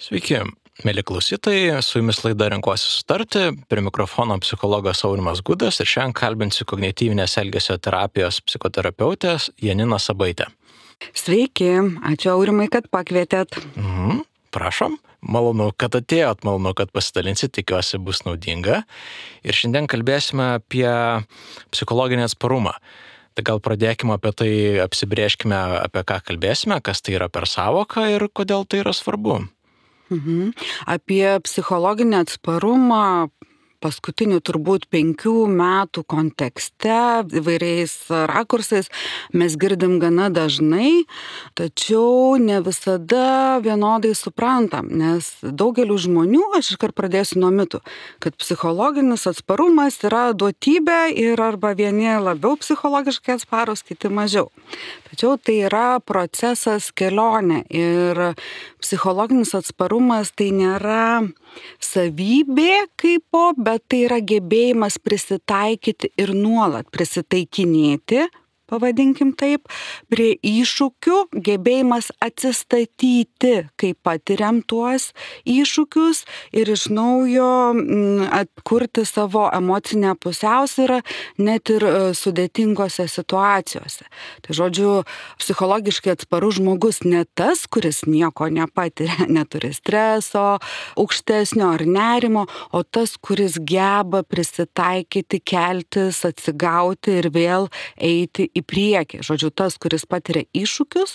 Sveiki, mėly klausytojai, su jumis laida Renkuosi sutarti, prie mikrofono psichologas Aurimas Gudas ir šiandien kalbinsiu kognityvinės elgesio terapijos psichoterapeutės Janiną Sabaitę. Sveiki, ačiū Aurimai, kad pakvietėt. Prašom, malonu, kad atėjot, malonu, kad pasidalinsit, tikiuosi bus naudinga. Ir šiandien kalbėsime apie psichologinį atsparumą. Tai gal pradėkime apie tai, apsibrėžkime, apie ką kalbėsime, kas tai yra per sąvoką ir kodėl tai yra svarbu. Apie psichologinį atsparumą paskutinių turbūt 5 metų kontekste, įvairiais rakursais mes girdim gana dažnai, tačiau ne visada vienodai suprantam, nes daugeliu žmonių, aš iškart pradėsiu nuo mitų, kad psichologinis atsparumas yra duotybė ir arba vieni labiau psichologiškai atsparūs, kiti mažiau. Tačiau tai yra procesas, kelionė ir psichologinis atsparumas tai nėra savybė kaipo, bet tai yra gebėjimas prisitaikyti ir nuolat prisitaikinėti, pavadinkim taip, prie iššūkių, gebėjimas atsistatyti, kai patiriam tuos iššūkius ir iš naujo atkurti savo emocinę pusiausvyrą net ir sudėtingose situacijose. Tai žodžiu, psichologiškai atsparus žmogus ne tas, kuris nieko nepatiria, neturi streso, aukštesnio ar nerimo, o tas, kuris geba prisitaikyti, keltis, atsigauti ir vėl eiti į priekį. Žodžiu, tas, kuris patiria iššūkius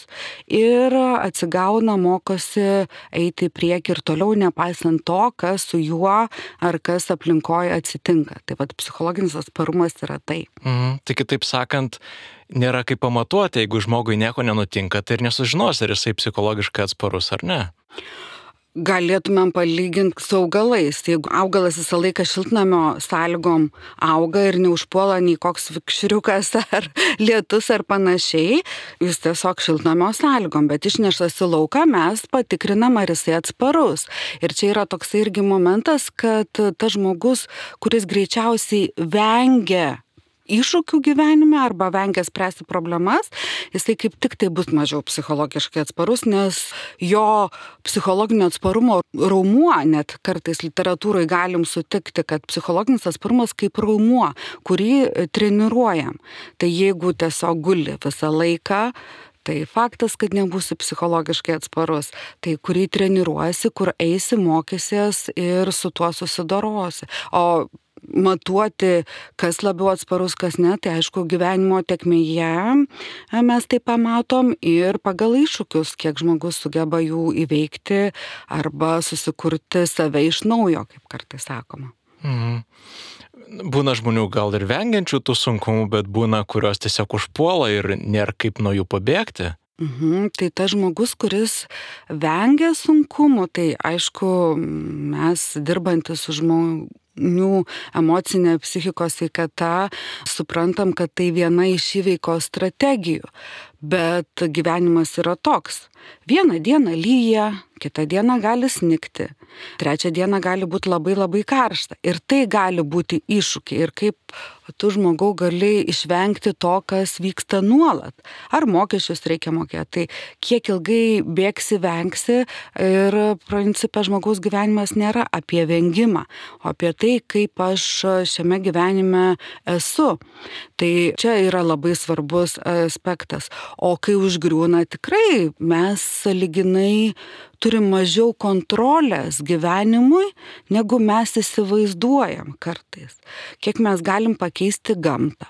ir atsigauna, mokosi eiti į priekį ir toliau, nepaisant to, kas su juo ar kas aplinkoje atsitinka. Tai vat psichologinis atsparumas yra tai. Tai kitaip sakant, nėra kaip pamatuoti, jeigu žmogui nieko nenutinka, tai ir nesužinos, ar jisai psichologiškai atsparus ar ne. Galėtumėm palyginti su augalais. Jeigu augalas visą laiką šiltnamio sąlygom auga ir neužpuola nei koks vikšriukas ar lietus ar panašiai, jis tiesiog šiltnamio sąlygom, bet išneštas į lauką mes patikrinam, ar jisai atsparus. Ir čia yra toks irgi momentas, kad tas žmogus, kuris greičiausiai vengia iššūkių gyvenime arba vengia spręsti problemas, jisai kaip tik tai bus mažiau psichologiškai atsparus, nes jo psichologinio atsparumo raumuo, net kartais literatūrai galim sutikti, kad psichologinis atsparumas kaip raumuo, kurį treniruojam. Tai jeigu tiesiog guli visą laiką, tai faktas, kad nebūsi psichologiškai atsparus, tai kurį treniruojasi, kur eisi, mokysies ir su tuo susidorosi. O matuoti, kas labiau atsparus, kas ne, tai aišku, gyvenimo tėkmėje mes tai pamatom ir pagal iššūkius, kiek žmogus sugeba jų įveikti arba susikurti save iš naujo, kaip kartais sakoma. Būna žmonių gal ir vengiančių tų sunkumų, bet būna, kurios tiesiog užpuola ir nėra kaip nuo jų pabėgti. Tai tas žmogus, kuris vengia sunkumų, tai aišku, mes dirbantis su žmonių emocinė psichikos sveikata, suprantam, kad tai viena iš įveikos strategijų. Bet gyvenimas yra toks. Vieną dieną lyja, kitą dieną gali snigti, trečią dieną gali būti labai labai karšta. Ir tai gali būti iššūkiai. Ir kaip tu žmogau gali išvengti to, kas vyksta nuolat. Ar mokesčius reikia mokėti. Tai kiek ilgai bėgsi, vengsi. Ir principe žmogaus gyvenimas nėra apie vengimą, o apie tai, kaip aš šiame gyvenime esu. Tai čia yra labai svarbus aspektas. O kai užgriūna, tikrai mes sąlyginai turim mažiau kontrolės gyvenimui, negu mes įsivaizduojam kartais. Kiek mes galim pakeisti gamtą.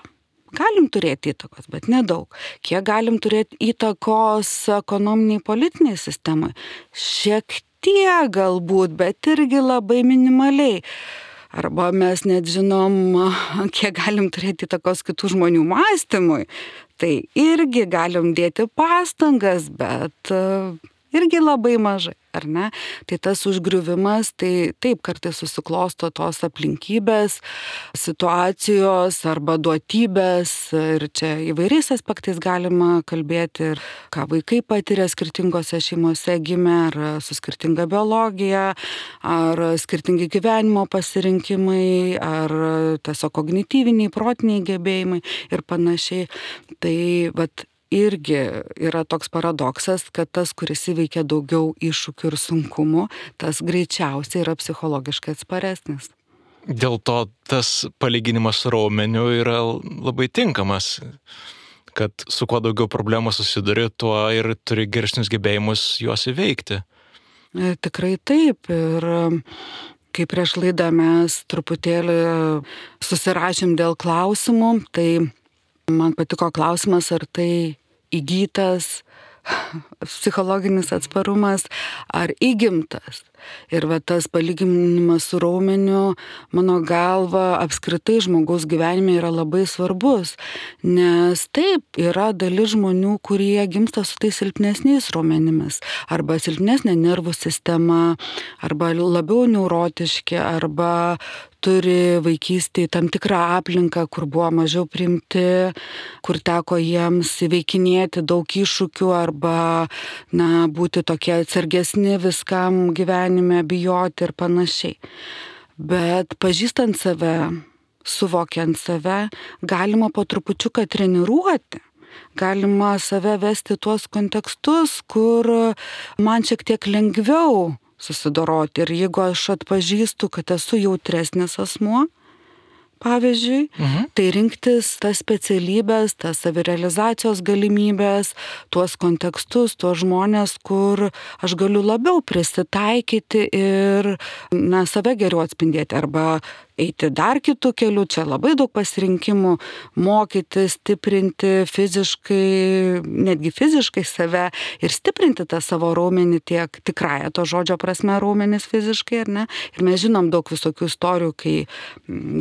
Galim turėti įtakos, bet nedaug. Kiek galim turėti įtakos ekonominiai politiniai sistemai? Šiek tiek galbūt, bet irgi labai minimaliai. Arba mes net žinom, kiek galim turėti įtakos kitų žmonių mąstymui. Tai irgi galim dėti pastangas, bet irgi labai mažai, ar ne? Tai tas užgriuvimas, tai taip kartais susiklosto tos aplinkybės, situacijos arba duotybės ir čia įvairiais aspektais galima kalbėti ir ką vaikai patiria skirtingose šeimose gimę, ar su skirtinga biologija, ar skirtingi gyvenimo pasirinkimai, ar tiesiog kognityviniai, protiniai gebėjimai ir panašiai. Tai vat irgi yra toks paradoksas, kad tas, kuris įveikia daugiau iššūkių ir sunkumų, tas greičiausiai yra psichologiškai atsparesnis. Dėl to tas palyginimas su raumeniu yra labai tinkamas, kad su kuo daugiau problemų susiduri, tuo ir turi geresnius gebėjimus juos įveikti. Tikrai taip. Ir kai prieš laidą mes truputėlį susirašėm dėl klausimų, tai man patiko klausimas, ar tai įgytas psichologinis atsparumas ar įgimtas. Ir tas palyginimas su raumeniu, mano galva, apskritai žmogaus gyvenime yra labai svarbus. Nes taip, yra dalis žmonių, kurie gimsta su tais silpnesniais raumenimis. Arba silpnesnė nervų sistema, arba labiau neurotiški, arba turi vaikystėje tam tikrą aplinką, kur buvo mažiau priimti, kur teko jiems įveikinėti daug iššūkių arba būti tokie atsargesni viskam gyvenime, bijoti ir panašiai. Bet pažįstant save, suvokiant save, galima po trupučiuką treniruoti. Galima save vesti tuos kontekstus, kur man šiek tiek lengviau susidoroti. Ir jeigu aš atpažįstu, kad esu jautresnis asmuo, pavyzdžiui, tai rinktis tas specialybės, tas savirealizacijos galimybės, tuos kontekstus, tuos žmonės, kur aš galiu labiau prisitaikyti ir save geriau atspindėti arba eiti dar kitų kelių, čia labai daug pasirinkimų, mokyti, stiprinti fiziškai, netgi fiziškai save ir stiprinti tą savo raumenį tiek tikrąją to žodžio prasme raumenis fiziškai, ar ne? Ir mes žinom daug visokių istorijų, kai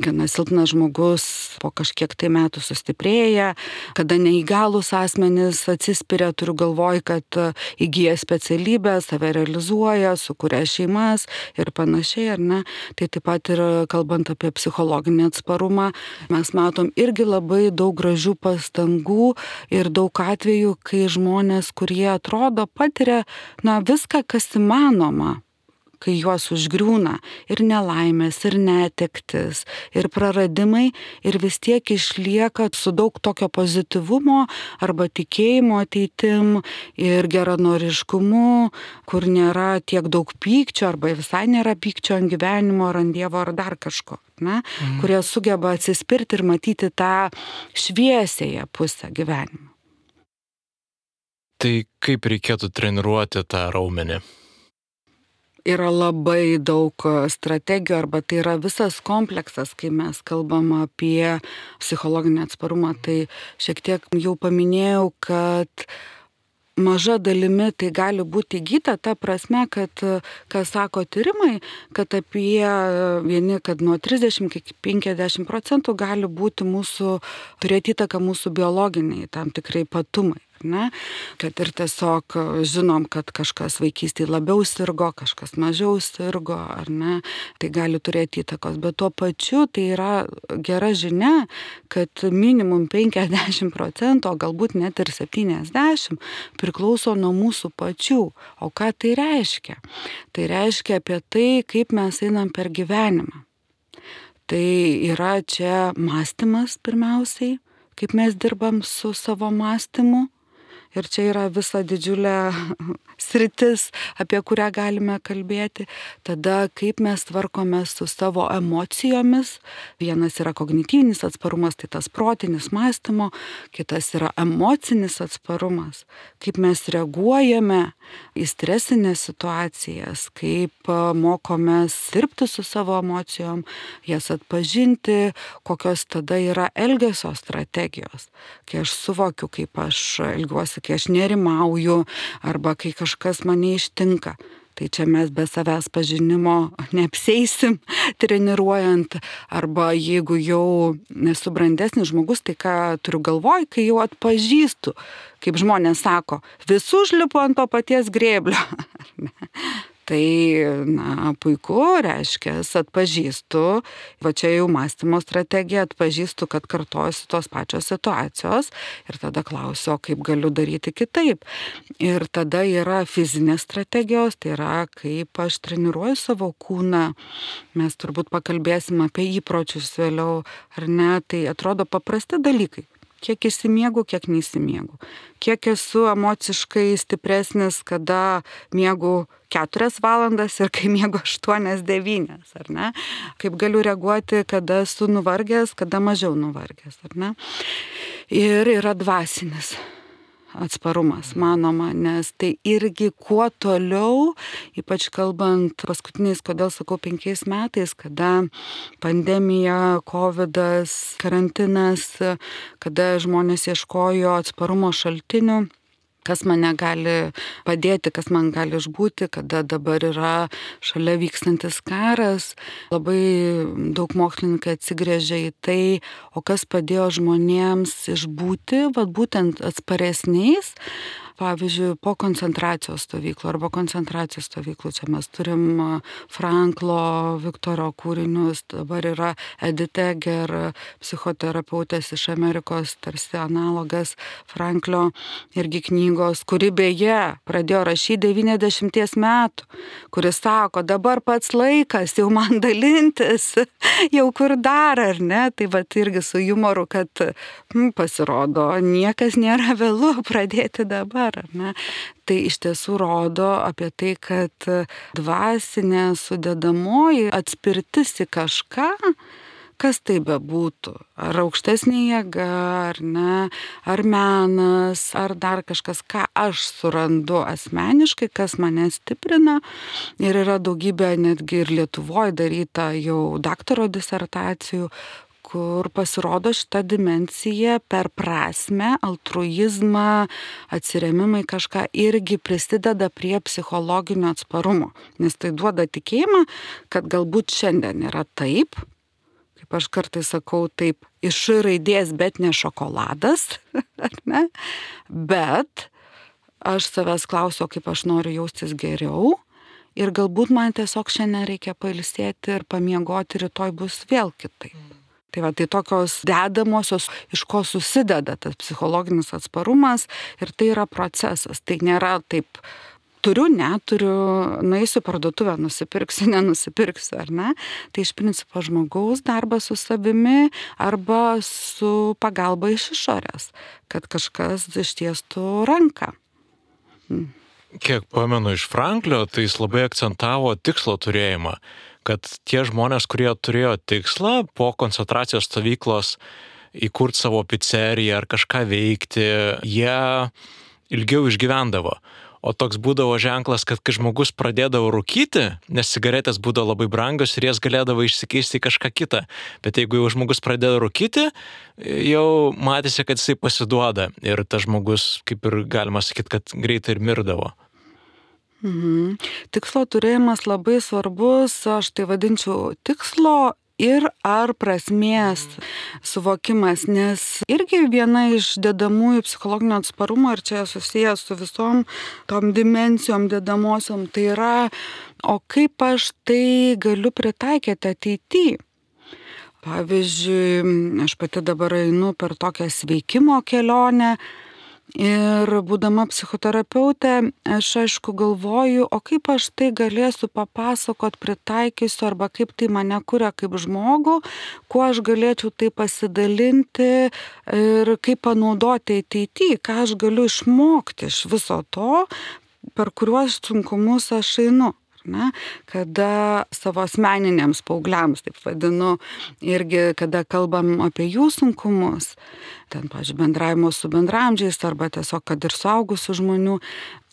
gana silpnas žmogus po kažkiek tai metų sustiprėja, kada neįgalūs asmenys atsispiria, turiu galvoj, kad įgyja specialybę, save realizuoja, sukuria šeimas ir panašiai, ar ne? Tai taip pat ir kalbant apie psichologinį atsparumą, mes matom irgi labai daug gražių pastangų ir daug atvejų, kai žmonės, kurie atrodo patiria viską, kas įmanoma, kai juos užgriūna ir nelaimės, ir netektis, ir praradimai, ir vis tiek išlieka su daug tokio pozityvumo arba tikėjimo ateitim ir geranoriškumu, kur nėra tiek daug pykčio arba visai nėra pykčio ant gyvenimo ar ant Dievo ar dar kažko, kurie sugeba atsispirti ir matyti tą šviesiąją pusę gyvenimo. Tai kaip reikėtų treniruoti tą raumenį? Yra labai daug strategijų arba tai yra visas kompleksas, kai mes kalbam apie psichologinį atsparumą. Tai šiek tiek jau paminėjau, kad maža dalimi tai gali būti įgyta, ta prasme, kad, ką sako tyrimai, kad apie kad nuo 30 iki 50% gali būti turėti įtaką mūsų biologiniai tam tikrai patumai. Ne? Kad ir tiesiog žinom, kad kažkas vaikystėje labiau sirgo, kažkas mažiau sirgo, ar ne, tai gali turėti įtakos. Bet tuo pačiu tai yra gera žinia, kad minimum 50%, o galbūt net ir 70% priklauso nuo mūsų pačių. O ką tai reiškia? Tai reiškia apie tai, kaip mes einam per gyvenimą. Tai yra čia mąstymas pirmiausiai, kaip mes dirbam su savo mąstymu. Ir čia yra visa didžiulė sritis, apie kurią galime kalbėti. Tada, kaip mes tvarkome su savo emocijomis. Vienas yra kognityvinis atsparumas, tai tas protinis mąstymo. Kitas yra emocinis atsparumas. Kaip mes reaguojame į stresinės situacijas. Kaip mokomės dirbti su savo emocijom, jas atpažinti, kokios tada yra elgesio strategijos. Kai aš suvokiu, kaip aš elgiuosi, kai aš nerimauju arba kai kažkas mane ištinka. Tai čia mes be savęs pažinimo neapseisim treniruojant. Arba jeigu jau nesu brandesnis žmogus, tai ką turiu galvoj, kai jau atpažįstu, kaip žmonės sako, vis užlipu ant to paties grėblio. Tai, puiku, reiškia, atpažįstu, va čia jau mąstymo strategija, atpažįstu, kad kartojasi tos pačios situacijos ir tada klausiu, o kaip galiu daryti kitaip. Ir tada yra fizinės strategijos, tai yra, kaip aš treniruoju savo kūną. Mes turbūt pakalbėsim apie įpročius vėliau, ar ne, tai atrodo paprasti dalykai. kiek įsimiegu, kiek neįsimiegu. Kiek esu emociškai stipresnis, kada miegu 4 valandas ir kai miegu 8-9, ar ne? Kaip galiu reaguoti, kada esu nuvargęs, kada mažiau nuvargęs, ar ne? Ir yra dvasinis atsparumas, manoma, nes tai irgi kuo toliau, ypač kalbant paskutiniais, kodėl sakau 5 metais, kada pandemija, covidas, karantinas, kada žmonės ieškojo atsparumo šaltinių, kas mane gali padėti, kas man gali išbūti, kada dabar yra šalia vykstantis karas. Labai daug mokslininkai atsigręžia į tai, o kas padėjo žmonėms išbūti, būtent atsparesniais. Pavyzdžiui, po koncentracijos stovyklų arba koncentracijos stovyklų. Čia mes turim Franklo, Viktoro kūrinius, dabar yra Edith Eger, psichoterapeutės iš Amerikos, tarsi analogas Franklio irgi knygos, kuri beje pradėjo rašyti 90 metų, kuris sako, dabar pats laikas jau man dalintis, jau kur dar, ar ne? Tai irgi su humoru, kad pasirodo, niekas nėra vėlu pradėti dabar. Ar ne? Tai iš tiesų rodo apie tai, kad dvasinė sudedamoji atspirtis į kažką, kas tai bebūtų, ar aukštesnė jėga, ar ne, ar menas, ar dar kažkas, ką aš surandu asmeniškai, kas mane stiprina. Ir yra daugybė netgi ir Lietuvoje daryta jau daktaro disertacijų, kur pasirodo šita dimensija per prasmę, altruizmą, atsiremimą į kažką irgi prisideda prie psichologinio atsparumo. Nes tai duoda tikėjimą, kad galbūt šiandien yra taip, kaip aš kartais sakau, taip iš raidės, bet ne šokoladas, ar ne? Bet aš savęs klausiu, kaip aš noriu jaustis geriau. Ir galbūt man tiesiog šiandien reikia pailsėti ir pamiegoti, rytoj bus vėl kitaip. Tai tokios dedamosios, iš ko susideda tas psichologinis atsparumas ir tai yra procesas. Tai nėra taip, neturiu, nueisiu parduotuvę, nusipirksiu, nenusipirksiu, ar ne? Tai iš principo žmogaus darbas su savimi arba su pagalba iš išorės, kad kažkas ištiestų ranką. Kiek pamenu iš Franklio, tai jis labai akcentavo tikslo turėjimą, kad tie žmonės, kurie turėjo tikslą po koncentracijos stovyklos įkurti savo pizzeriją ar kažką veikti, jie ilgiau išgyvendavo. O toks būdavo ženklas, kad kai žmogus pradėdavo rūkyti, nes cigaretės būdavo labai brangios ir jas galėdavo išsikeisti į kažką kitą. Bet jeigu jau žmogus pradėjo rūkyti, jau matėsi, kad jisai pasiduoda. Ir tas žmogus, kaip ir galima sakyti, kad greitai ir mirdavo. Tikslo turėjimas labai svarbus, aš tai vadinčiau tikslo ir ar prasmės suvokimas, nes irgi viena iš dedamųjų psichologinio atsparumo, ir čia susijęs su visom tom dimensijom dedamosiom, tai yra, o kaip aš tai galiu pritaikyti ateityje. Pavyzdžiui, aš pati dabar einu per tokią sveikimo kelionę, ir būdama psichoterapeutė, aš aišku galvoju, o kaip aš tai galėsiu papasakot, pritaikysiu, arba kaip tai mane kuria kaip žmogų, kuo aš galėčiau tai pasidalinti ir kaip panaudoti ateityje, ką aš galiu išmokti iš viso to, per kuriuos sunkumus aš einu. Ne? Kada savo asmeniniams paaugliams, taip vadinu, irgi kada kalbam apie jų sunkumus, ten, pavyzdžiui, bendravimo su bendraamžiais arba tiesiog, kad ir suaugusių žmonių,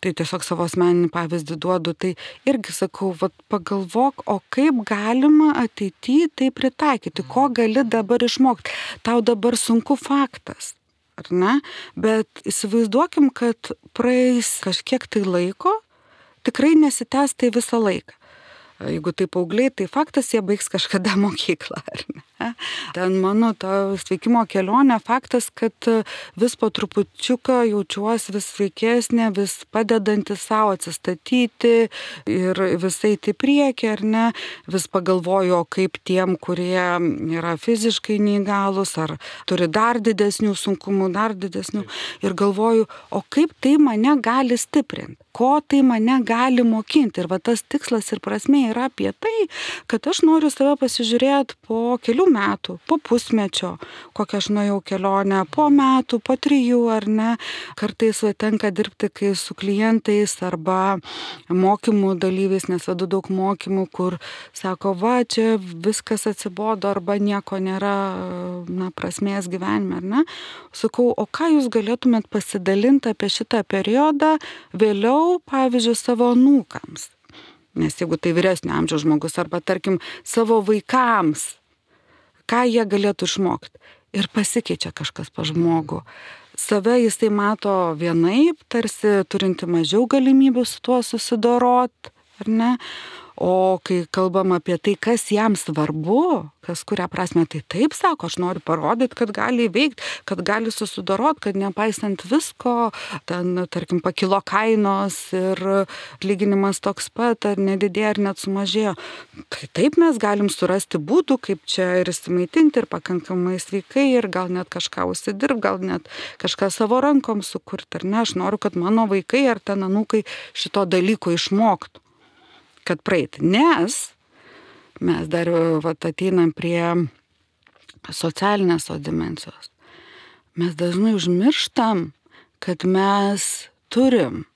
tai tiesiog savo asmeninį pavyzdį duodu, tai irgi sakau, pagalvok, o kaip galima ateityje tai pritaikyti, ko gali dabar išmokti. Tau dabar sunku faktas, ar ne? Bet įsivaizduokim, kad praeis kažkiek tai laiko, tikrai nesitęs tai visą laiką. Jeigu tai paaugliai, tai faktas, jie baigs kažkada mokyklą, ar ne? Ten mano ta sveikimo kelionė, faktas, kad vis po trupučiuką jaučiuosi vis sveikesnė, vis padedanti savo atsistatyti ir visai tai priekį, ar ne? Vis pagalvoju, kaip tiem, kurie yra fiziškai neįgalus, ar turi dar didesnių sunkumų, dar didesnių. Ir galvoju, o kaip tai mane gali stiprinti? Ko tai mane gali mokinti? Ir tas tikslas ir prasmė yra apie tai, kad aš noriu save pasižiūrėti po kelių metų, po pusmečio, kokią aš nuėjau kelionę, po metų, po 3, ar ne. Kartais tenka dirbti kai su klientais arba mokymų dalyviais, nes vedu daug mokymų, kur sako, va, čia viskas atsibodo arba nieko nėra, prasmės gyvenime, ar ne. Sakau, o ką jūs galėtumėt pasidalinti apie šitą periodą vėliau, pavyzdžiui, savo anūkams? Nes jeigu tai vyresnio amžiaus žmogus arba, tarkim, savo vaikams, ką jie galėtų išmokti. Ir pasikeičia kažkas pa žmogų. Save jisai mato vienaip, tarsi turinti mažiau galimybių su tuo susidorot, ar ne? O kai kalbam apie tai, kas jam svarbu, kas kuria prasme, tai taip sako, aš noriu parodyti, kad gali įveikti, kad gali susidorot, kad nepaisant visko, ten, tarkim, pakilo kainos ir atlyginimas toks pat, ar nedidėjo, ar net sumažėjo. Tai taip mes galim surasti būdų, kaip čia ir įsimaitinti, ir pakankamai sveikai, ir gal net kažką užsidirbti, gal net kažką savo rankom sukurti, ar ne? Aš noriu, kad mano vaikai ar ten anūkai šito dalyko išmoktų, kad praeiti. Nes mes dar ateinam prie socialinės dimensijos. Mes dažnai užmirštam, kad mes turim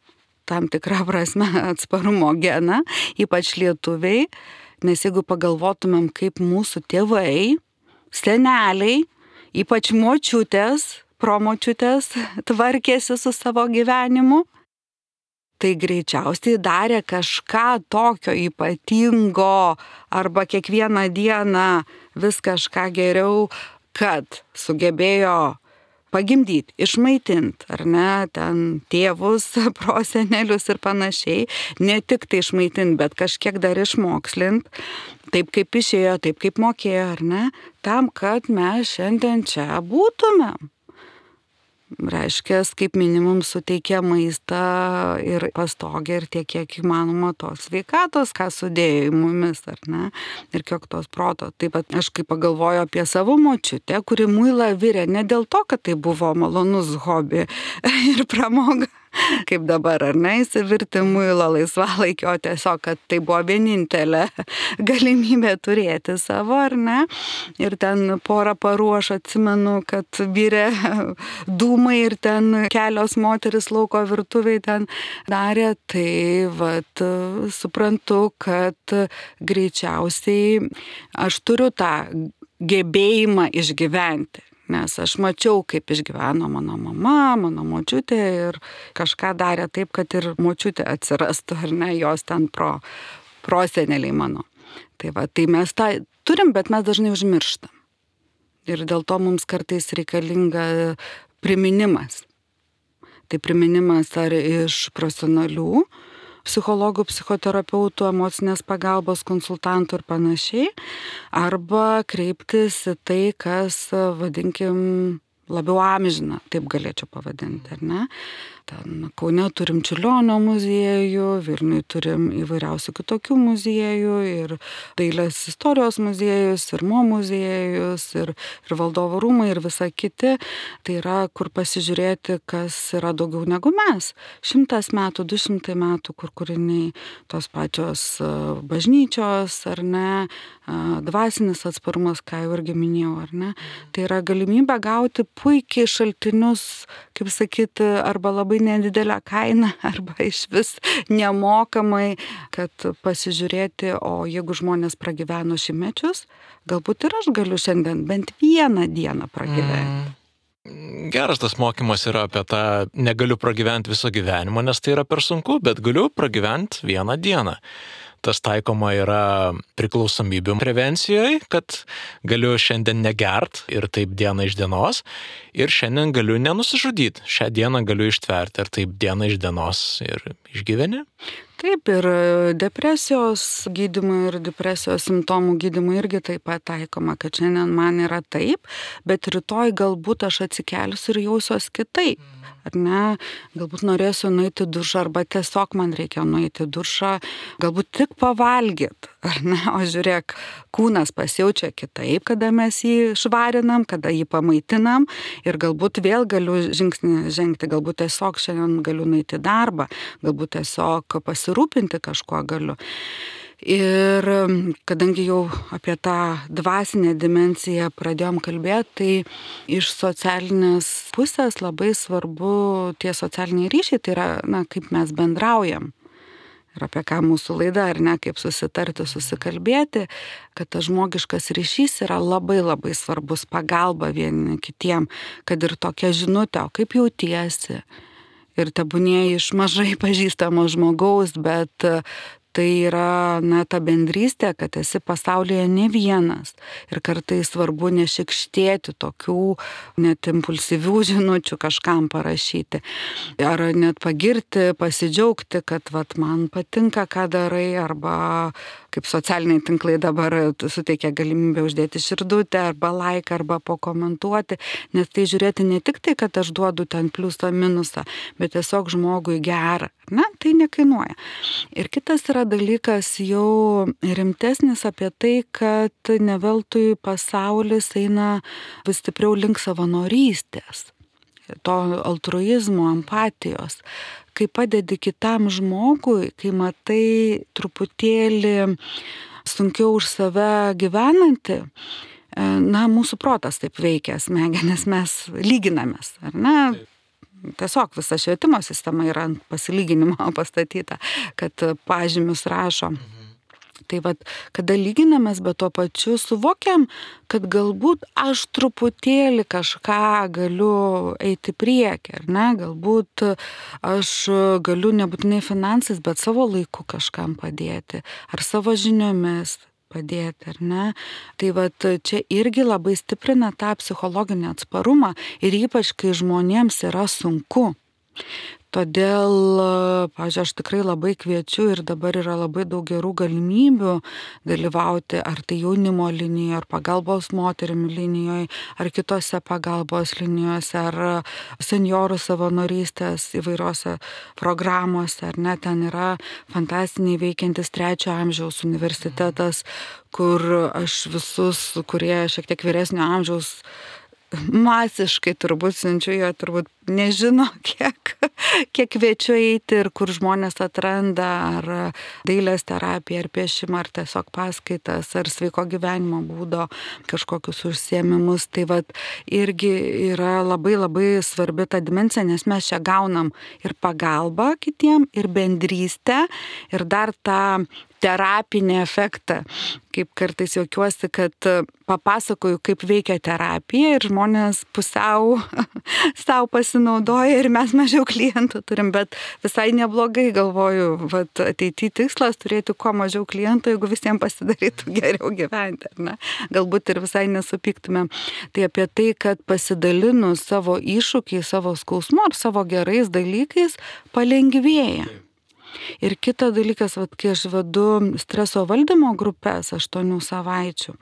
tam tikrą prasme atsparumo geną, ypač lietuviai, nes jeigu pagalvotumėm, kaip mūsų tėvai, seneliai, ypač močiutės, promočiutės tvarkėsi su savo gyvenimu, tai greičiausiai darė kažką tokio ypatingo arba kiekvieną dieną vis kažką geriau, kad sugebėjo pagimdyti, išmaitinti, ar ne, ten tėvus, prosenelius ir panašiai, ne tik tai išmaitinti, bet kažkiek dar išmokslinti, taip kaip išėjo, taip kaip mokėjo, ar ne, tam, kad mes šiandien čia būtumėm. Reiškia, kaip minimum suteikia maistą ir pastogę ir tiek, kiek įmanoma tos sveikatos, ką sudėjo į mumis, ar ne, ir kiek tos proto. Taip pat aš kaip pagalvoju apie savo močiutę, kuri muilą virė ne dėl to, kad tai buvo malonus hobi ir pramoga, kaip dabar, ar ne, įsivirti muilo laisvalaikio, tiesiog, kad tai buvo vienintelė galimybė turėti savo, ar ne. Ir ten porą parų aš atsimenu, kad virė dūmai ir ten kelios moteris lauko virtuviai ten darė, tai suprantu, kad greičiausiai aš turiu tą gebėjimą išgyventi. Nes aš mačiau, kaip išgyveno mano mama, mano močiutė ir kažką darė taip, kad ir močiutė atsirastų, ar ne, jos ten proseneliai mano. Tai mes tą turim, bet mes dažnai užmirštam. Ir dėl to mums kartais reikalinga priminimas. Tai priminimas ar iš profesionalių psichologų, psichoterapeutų, emocinės pagalbos, konsultantų ir panašiai, arba kreiptis į tai, kas, vadinkim, labiau amžina, taip galėčiau pavadinti, ar ne? Ten Kaune turim Čiurlionio muziejų, Vilniuje turim įvairiausių kitokių muziejų, ir dailės istorijos muziejus, ir mo muziejus, ir valdovų rūmai, ir visa kiti. Tai yra, kur pasižiūrėti, kas yra daugiau negu mes. 100 metų, 200 metų, kur kūriniai tos pačios bažnyčios, ar ne, dvasinis atsparumas, ką jau irgi minėjau, ar ne. Tai yra galimybė gauti puikiai šaltinius, kaip sakyti, arba labai nedidelę kainą, arba iš vis nemokamai, kad pasižiūrėti, o jeigu žmonės pragyveno šimtmečius, galbūt ir aš galiu šiandien bent vieną dieną pragyventi. Geras tas mokymas yra apie tą negaliu pragyventi viso gyvenimo, nes tai yra per sunku, bet galiu pragyventi vieną dieną. Tas taikoma yra priklausomybių prevencijoje, kad galiu šiandien negert ir taip diena iš dienos, ir šiandien galiu nenusižudyti, šią dieną galiu ištverti ir taip diena iš dienos ir išgyveni. Taip, ir depresijos gydymui ir depresijos simptomų gydymui irgi taip pat taikoma, kad šiandien man yra taip, bet rytoj galbūt aš atsikelsiu ir jausiuos kitaip. Ar ne, galbūt norėsiu nueiti dušą, arba tiesiog man reikia nueiti dušą, galbūt tik pavalgyti, ar ne, o žiūrėk, kūnas pasijaučia kitaip, kada mes jį švarinam, kada jį pamaitinam, ir galbūt vėl galiu žingsnį žengti, galbūt tiesiog šiandien galiu nueiti į darbą, galbūt tiesiog pasirūpinti kažkuo galiu. Ir kadangi jau apie tą dvasinę dimensiją pradėjom kalbėti, tai iš socialinės pusės labai svarbu tie socialiniai ryšiai, tai yra, kaip mes bendraujam. Ir apie ką mūsų laida, ar ne, kaip susitarti, susikalbėti, kad tas žmogiškas ryšys yra labai labai svarbus, pagalba vieni kitiem, kad ir tokia žinutė, o kaip jautiesi. Ir tebūnie iš mažai pažįstamo žmogaus, bet tai yra, ta bendrystė, kad esi pasaulyje ne vienas. Ir kartais svarbu nešikštėti tokių net impulsyvių žinučių kažkam parašyti. Ar net pagirti, pasidžiaugti, kad man patinka, ką darai, arba kaip socialiniai tinklai dabar suteikia galimybę uždėti širdutę, arba laiką, arba pakomentuoti, nes tai žiūrėti ne tik tai, kad aš duodu ten pliusą, minusą, bet tiesiog žmogui gerą. Tai nekainuoja. Ir kitas yra dalykas jau rimtesnis apie tai, kad ne veltui pasaulis eina vis stipriau link savanorystės, to altruizmo, empatijos. Kai padedi kitam žmogui, kai matai truputėlį sunkiau už save gyvenantį, mūsų protas taip veikia, smegenis mes lyginamės, ar ne? Tiesiog visa švietimo sistema yra ant pasilyginimo pastatyta, kad pažymius rašo. Tai kada lyginamės, bet tuo pačiu suvokiam, kad galbūt aš truputėlį kažką galiu eiti priekį, ar ne? Galbūt aš galiu nebūtinai finansais, bet savo laiku kažkam padėti, ar savo žiniomis padėti, ar ne? Tai čia irgi labai stiprina tą psichologinį atsparumą ir ypač, kai žmonėms yra sunku. Todėl, pavyzdžiui, aš tikrai labai kviečiu ir dabar yra labai daug gerų galimybių dalyvauti ar tai jaunimo linijoje, ar pagalbos moterim linijoje, ar kitose pagalbos linijose, ar seniorų savanorystės įvairiose programuose, ar ne, ten yra fantastiniai veikiantis 3 amžiaus universitetas, kur aš visus, kurie šiek tiek vyresnio amžiaus masiškai turbūt siunčiu, jo turbūt nežino, kiek kviečiu eiti ir kur žmonės atranda ar dailės terapiją, ar piešimą, ar tiesiog paskaitas, ar sveiko gyvenimo būdo kažkokius užsiėmimus. Tai irgi yra labai labai svarbi ta dimensija, nes mes čia gaunam ir pagalbą kitiem, ir bendrystę, ir dar tą terapinį efektą. Kaip kartais juokiuosi, kad papasakoju, kaip veikia terapija ir žmonės pusiau savo pasinaudoja ir mes mažiau klientų turim, bet visai neblogai galvoju, ateityje tikslas turėti kuo mažiau klientų, jeigu visiems pasidarytų geriau gyventi, ar ne? Galbūt ir visai nesupyktumėm. Tai apie tai, kad pasidalinus savo iššūkiai, savo skausmu ar savo gerais dalykais palengvėja. Ir kitas dalykas, kai aš vedu streso valdymo grupės 8 savaičių,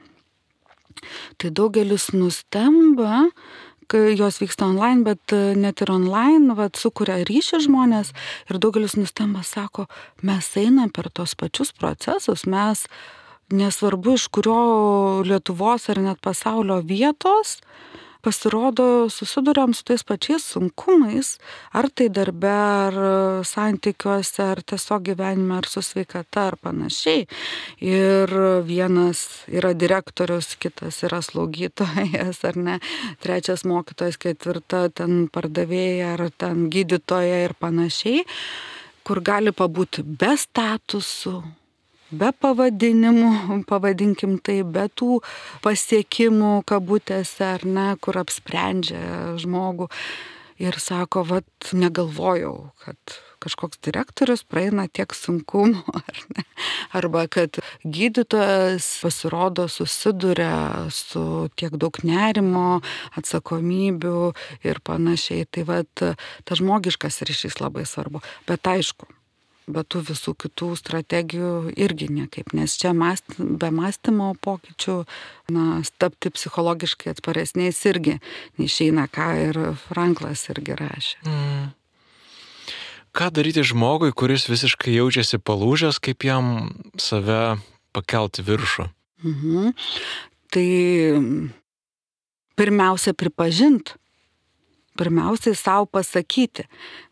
tai daugelis nustemba, kai jos vyksta online, bet net ir online sukuria ryšį žmonės ir daugelis nustemba, sako, mes einam per tos pačius procesus, mes nesvarbu iš kurio Lietuvos ar net pasaulio vietos, pasirodo, susiduriam su tais pačiais sunkumais, ar tai darbe, ar santykiuose, ar tiesiog gyvenime, ar su sveikata, ar panašiai. Ir vienas yra direktorius, kitas yra slaugytojas, ar ne, 3 mokytojas, 4 ten pardavėja, ar ten gydytoja ir panašiai, kur gali pabūti be statusų, be pavadinimų, pavadinkim tai, be tų pasiekimų kabutėse, ar ne, kur apsprendžia žmogų. Ir sako, negalvojau, kad kažkoks direktorius praeina tiek sunkumų, ar ne. Arba kad gydytojas pasirodo susiduria su tiek daug nerimo, atsakomybių ir panašiai. Tai tas žmogiškas ryšys labai svarbu. Bet aišku, bet tų visų kitų strategijų irgi niekaip, nes čia be mąstymo pokyčių, tapti psichologiškai atsparesniais irgi neišeina, ką ir Franklas irgi rašė. Ką daryti žmogui, kuris visiškai jaučiasi palūžęs, kaip jam save pakelti viršų? Tai pirmiausia pripažint, pirmiausiai savo pasakyti.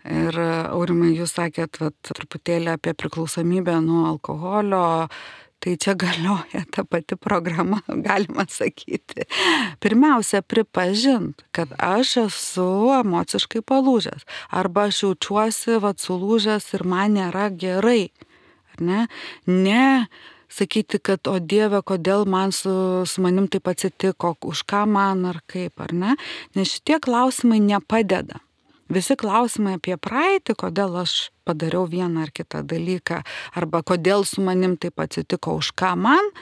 Ir Aurimai, jūs sakėt truputėlį apie priklausomybę nuo alkoholio, tai čia galioja ta pati programa, galima sakyti. Pirmiausia, pripažint, kad aš esu emociškai palūžęs, arba aš jaučiuosi sulūžęs ir man nėra gerai. Ar ne? Ne sakyti, kad o Dieve, kodėl man su manim taip atsitiko, už ką man ar kaip, ar ne? Nes šitie klausimai nepadeda. Visi klausimai apie praeitį, kodėl aš padariau vieną ar kitą dalyką, arba kodėl su manim taip atsitiko, už ką man,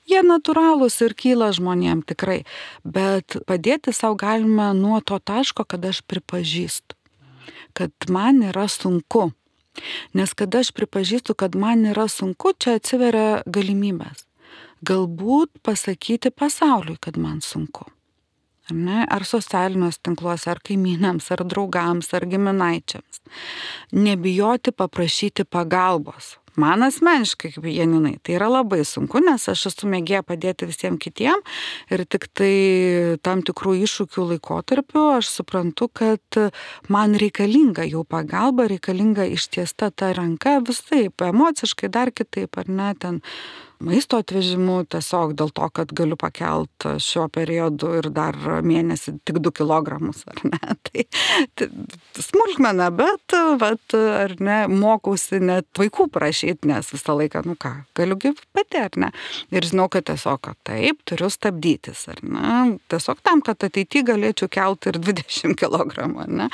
jie natūralūs ir kyla žmonėm tikrai. Bet padėti savo galime nuo to taško, kad aš pripažįstu, kad man yra sunku. Nes kada aš pripažįstu, kad man yra sunku, čia atsiveria galimybės. Galbūt pasakyti pasauliui, kad man sunku. Ar ne? Ar socialiniuose tinkluose, ar kaimynams, ar draugams, ar giminaičiams. Nebijoti paprašyti pagalbos. Man asmeniškai, kaip Janinai, tai yra labai sunku, nes aš esu mėgėja padėti visiems kitiem ir tik tai tam tikrų iššūkių laikotarpiu aš suprantu, kad man reikalinga jau pagalba, reikalinga ištiesta ta ranka visaip, emociškai dar kitaip, ar ne, ten maisto atvežimu tiesiog dėl to, kad galiu pakelt šiuo periodu ir dar mėnesį tik 2 kilogramus, ar ne. Tai smulkmena, bet, ar ne, mokausi net vaikų prašyti, nes visą laiką, galiu pati, ar ne. Ir žinau, kad tiesiog, taip, turiu stabdytis, ar ne. Tiesiog tam, kad ateityje galėčiau kelti ir 20 kilogramų, ar ne.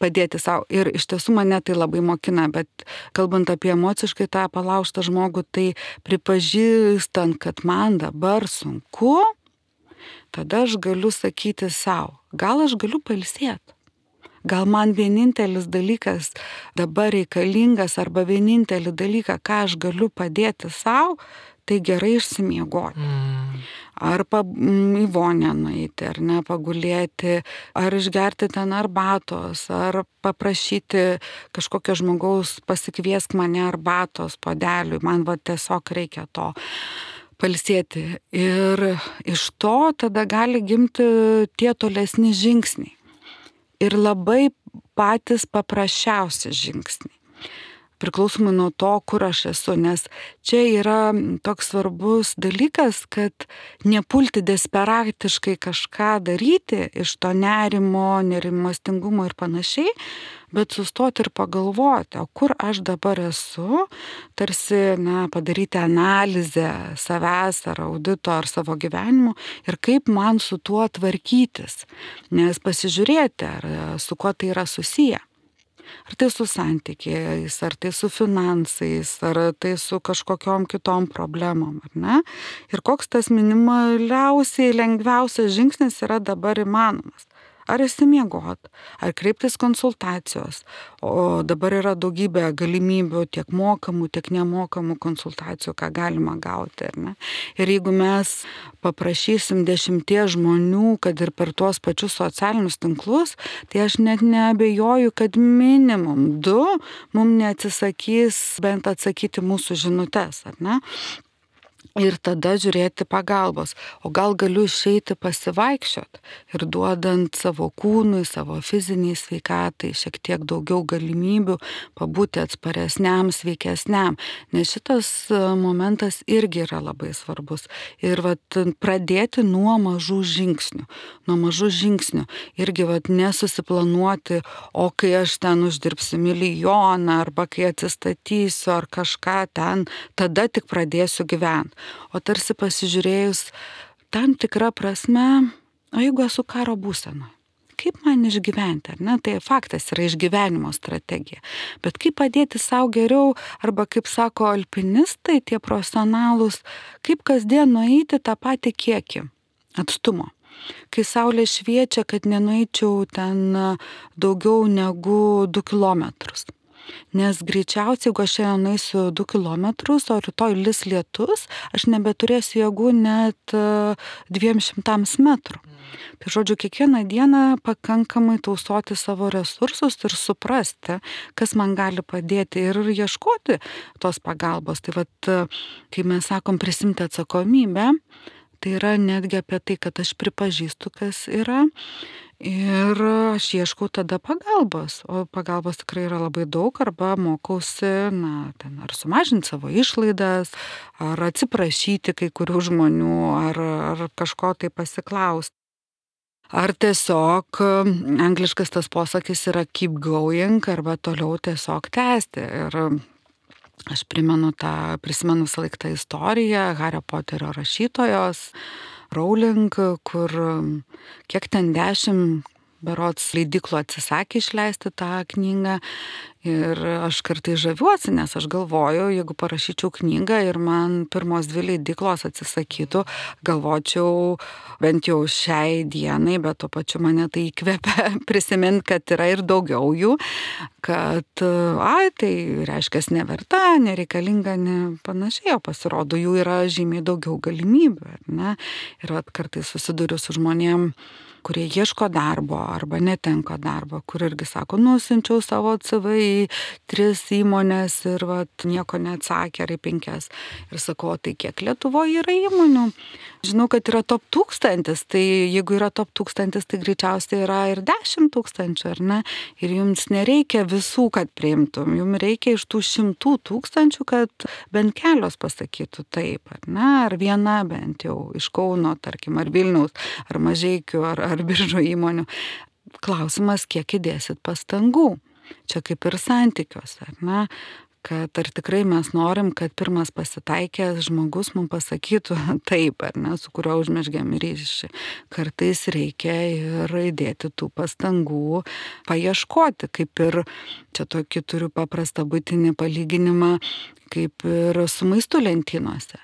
Padėti savo. Ir iš tiesų mane tai labai mokina, bet kalbant apie emociškai tą palaužtą žmogų, tai pripažįstant, kad man dabar sunku, tada aš galiu sakyti savo, gal aš galiu pailsėti. Gal man vienintelis dalykas dabar reikalingas arba vienintelį dalyką, ką aš galiu padėti savo, tai gerai išsimiegoti. Ar į vonią nueiti, ar ne, pagulėti, ar išgerti ten arbatos, ar paprašyti kažkokio žmogaus pasikviesk mane arbatos puodeliui, man tiesiog reikia to pailsėti. Ir iš to tada gali gimti tie tolesni žingsniai. Ir labai patys paprasčiausi žingsniai. Priklausomai nuo to, kur aš esu, nes čia yra toks svarbus dalykas, kad nepulti desperatiškai kažką daryti iš to nerimo, nerimastingumo ir panašiai, bet sustoti ir pagalvoti, o kur aš dabar esu, tarsi padaryti analizę savęs ar audito ar savo gyvenimo ir kaip man su tuo tvarkytis, nes pasižiūrėti, ar su kuo tai yra susiję. Ar tai su santykiais, ar tai su finansais, ar tai su kažkokiom kitom problemom, ar ne? Ir koks tas minimaliausiai lengviausias žingsnis yra dabar įmanomas. Ar išsimiegot, ar kreiptis konsultacijos. O dabar yra daugybė galimybių tiek mokamų, tiek nemokamų konsultacijų, ką galima gauti. Ar ne? Ir jeigu mes paprašysim 10 žmonių, kad ir per tuos pačius socialinius tinklus, tai aš net neabejoju, kad minimum 2 mums neatsisakys bent atsakyti mūsų žinutes, ar ne? Ir tada žiūrėti pagalbos. O gal galiu išeiti pasivaikščiot ir duodant savo kūnui, savo fiziniai sveikatai šiek tiek daugiau galimybių pabūti atsparesniam, sveikesniam. Nes šitas momentas irgi yra labai svarbus. Ir pradėti nuo mažų žingsnių. Nuo mažų žingsnių. Irgi nesusiplanuoti, o kai aš ten uždirbsiu milijoną, arba kai atsistatysiu, ar kažką ten, tada tik pradėsiu gyventi. O tarsi pasižiūrėjus tam tikrą prasme, o jeigu esu karo būsenoje, kaip man išgyventi, ar ne? Tai faktas yra išgyvenimo strategija. Bet kaip padėti savo geriau, arba kaip sako alpinistai, tie profesionalūs, kaip kasdien nueiti tą patį kiekį atstumo. Kai saulė šviečia, kad nenueičiau ten daugiau negu 2 kilometrus. Nes greičiausiai, jeigu aš šiandien nueisiu 2 kilometrus, o rytoj lis lietus, aš nebeturėsiu jėgų net 200 metrų. Tai žodžiu, kiekvieną dieną pakankamai tausoti savo resursus ir suprasti, kas man gali padėti ir ieškoti tos pagalbos. Tai kai mes sakom prisimti atsakomybę, Tai yra netgi apie tai, kad aš pripažįstu, kas yra. Ir aš ieškau tada pagalbos, o pagalbos tikrai yra labai daug, arba mokausi, ar sumažinti savo išlaidas, ar atsiprašyti kai kurių žmonių, ar kažko tai pasiklausti. Ar tiesiog angliškas tas posakis yra keep going, arba toliau tiesiog tęsti. Ir aš prisimenu visą laiką tą istoriją Hario Poterio rašytojos, Rowling, kur kiek ten 10 berods leidyklų atsisakė išleisti tą knygą. Ir aš kartais žaviuosi, nes aš galvoju, jeigu parašyčiau knygą ir man pirmos 2 leidyklos atsisakytų, galvočiau bent jau šiai dienai, bet tuo pačiu mane tai įkvepia prisiminti, kad yra ir daugiau jų, kad, tai reiškia neverta, nereikalinga, panašiai, o pasirodo, jų yra žymiai daugiau galimybių, ne? Ir kartais susiduriu su žmonėm, kurie ieško darbo arba netenka darbo, kur irgi sako, nusinčiau savo CV į 3 įmonės ir nieko neatsakė, ar į 5. Ir sakau, tai kiek Lietuvoje yra įmonių? Žinau, kad yra top 1000, tai jeigu yra top 1000, tai greičiausiai yra ir 10 000, ar ne? Ir jums nereikia visų, kad priimtum, jums reikia iš tų 100 000, kad bent kelios pasakytų taip, ar ne? Ar viena bent jau iš Kauno, tarkim, ar Vilniaus, ar Mažeikių, ar Biržų įmonių. Klausimas, kiek įdėsit pastangų. Čia kaip ir santykiuose, ar ne? Kad ar tikrai mes norim, kad pirmas pasitaikęs žmogus mums pasakytų taip, ar ne, su kuriuo užmezgėm ryšį. Kartais reikia ir įdėti tų pastangų, paieškoti, kaip ir, čia tokį turiu paprastą buitinį palyginimą, kaip ir su maistu lentynose.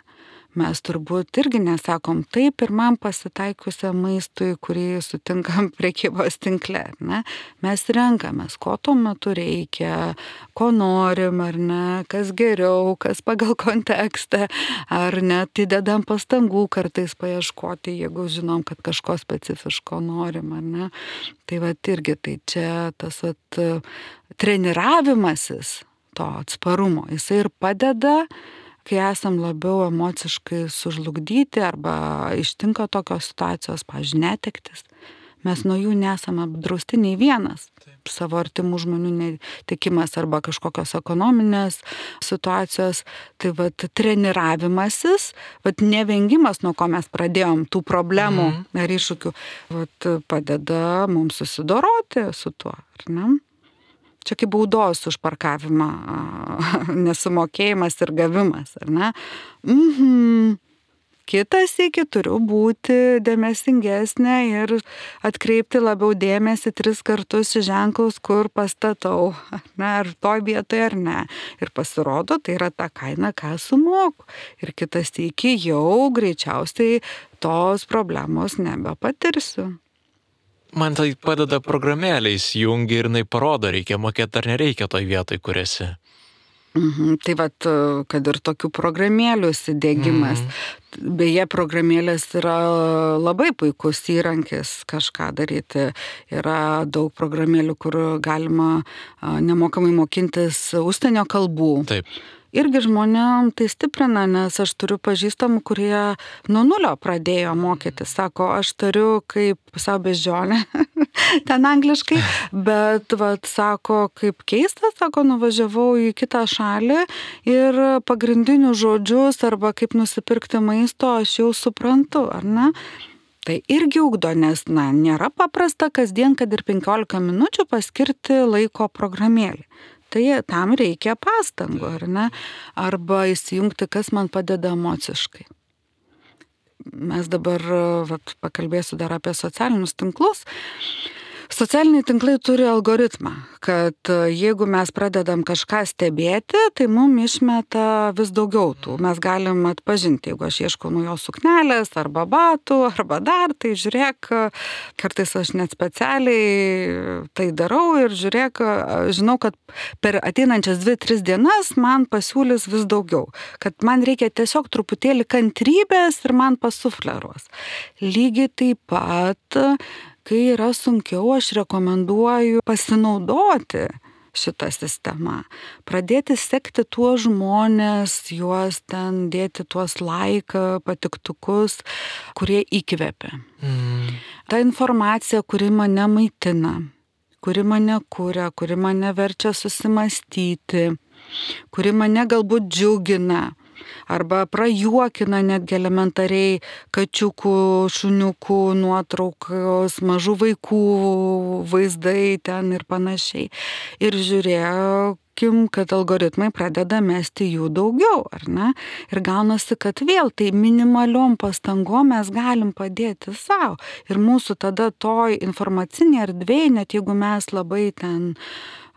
Mes turbūt irgi nesakom taip pirmam pasitaikusiam maistui, kurį sutinkam prekybos tinkle, ne? Mes renkamės, ko tuo metu reikia, ko norim, ar ne, kas geriau, kas pagal kontekstą, ar net įdedam pastangų kartais paieškoti, jeigu žinom, kad kažko specifiško norim, ar ne. Tai irgi tai čia tas treniravimasis to atsparumo, jisai ir padeda, kai esam labiau emociškai sužlugdyti arba ištinka tokios situacijos, pavyzdžiui, netektis, mes nuo jų nesame apdrausti nei vienas. Taip. Savo artimų žmonių netekimas arba kažkokios ekonominės situacijos. Tai treniravimasis, nevengimas, nuo ko mes pradėjom tų problemų ar iššūkių, padeda mums susidoroti su tuo, ar ne? Čia kaip baudos už parkavimą, nesumokėjimas ir gavimas, ar ne? Kitas iki turiu būti dėmesingesnė ir atkreipti labiau dėmesį 3 kartus į ženklus, kur pastatau, ar toj vietoje ar ne. Ir pasirodo, tai yra ta kaina, ką sumoku. Ir kitas iki jau greičiausiai tos problemos nebepatirsiu. Man tai padeda programėlė įsijungi ir jinai parodo, reikia mokėti ar nereikia toj vietoj, kur esi. Tai kad ir tokių programėlių įsidiegimas. Beje, programėlės yra labai puikus įrankis kažką daryti. Yra daug programėlių, kur galima nemokamai mokintis užsienio kalbų. Taip. Irgi žmonėm tai stiprina, nes aš turiu pažįstamų, kurie nuo 0 pradėjo mokytis. Sako, aš turiu kaip savo beždžionę, ten angliškai, bet sako, kaip keista, sako, nuvažiavau į kitą šalį ir pagrindinius žodžius arba kaip nusipirkti maisto aš jau suprantu, ar ne? Tai irgi ugdo, nes nėra paprasta kasdien, kad ir 15 minučių paskirti laiko programėlį. Tai tam reikia pastangų, ar ne? Arba įsijungti, kas man padeda emociškai. Mes dabar pakalbėsiu dar apie socialinius tinklus. Socialiniai tinklai turi algoritmą, kad jeigu mes pradedam kažką stebėti, tai mums išmeta vis daugiau tų. Mes galim atpažinti, jeigu aš ieškau naujos suknelės arba batų, arba dar, tai žiūrėk, kartais aš net specialiai tai darau ir žiūrėk, žinau, kad per ateinančias 2-3 dienas man pasiūlys vis daugiau. Kad man reikia tiesiog truputėlį kantrybės ir man pasufleruos. Lygiai taip pat, kai yra sunkiau, aš rekomenduoju pasinaudoti šita sistema. Pradėti sekti tuos žmonės, juos ten dėti tuos patiktukus, kurie įkvepia. Ta informacija, kuri mane maitina, kuri mane kuria, kuri mane verčia susimastyti, kuri mane galbūt džiugina arba prajuokina netgi elementariai kačiukų, šuniukų nuotraukos, mažų vaikų vaizdai ten ir panašiai. Ir žiūrėkim, kad algoritmai pradeda mesti jų daugiau, ar ne? Ir gaunasi, kad vėl tai minimaliom pastangom mes galim padėti savo. Ir mūsų tada toj informacinė erdvėje, net jeigu mes labai ten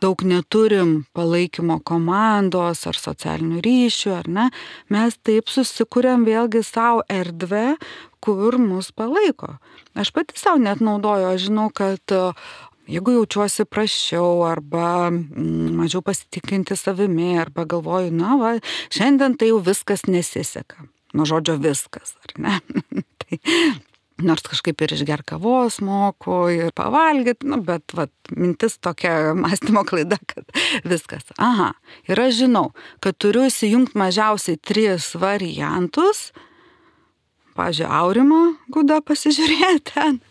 daug neturim palaikymo komandos ar socialinių ryšių, ar ne, mes taip susikuriam vėlgi savo erdvę, kur mus palaiko. Aš pati savo net naudoju, aš žinau, kad jeigu jaučiuosi prasčiau arba mažiau pasitikinti savimi, arba galvoju, na va, šiandien tai jau viskas nesiseka. Nuo žodžio viskas, ar ne? Tai nors kažkaip ir išger kavos moku ir pavalgyti, bet mintis tokia mąstymo klaida, kad viskas. Aha, ir aš žinau, kad turiu įsijungti mažiausiai 3 variantus. Pavyzdžiui, Aurimo Gudą pasižiūrėti ten,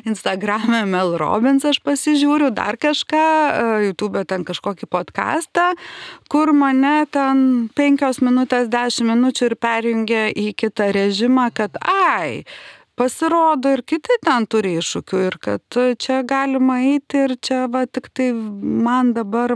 Instagram'e Mel Robbins aš pasižiūriu, dar kažką, YouTube ten kažkokį podcastą, kur mane ten 5 minutės, 10 minučių ir perjungia į kitą režimą, kad pasirodo ir kiti ten turi iššūkių ir kad čia galima eiti ir čia tik tai man dabar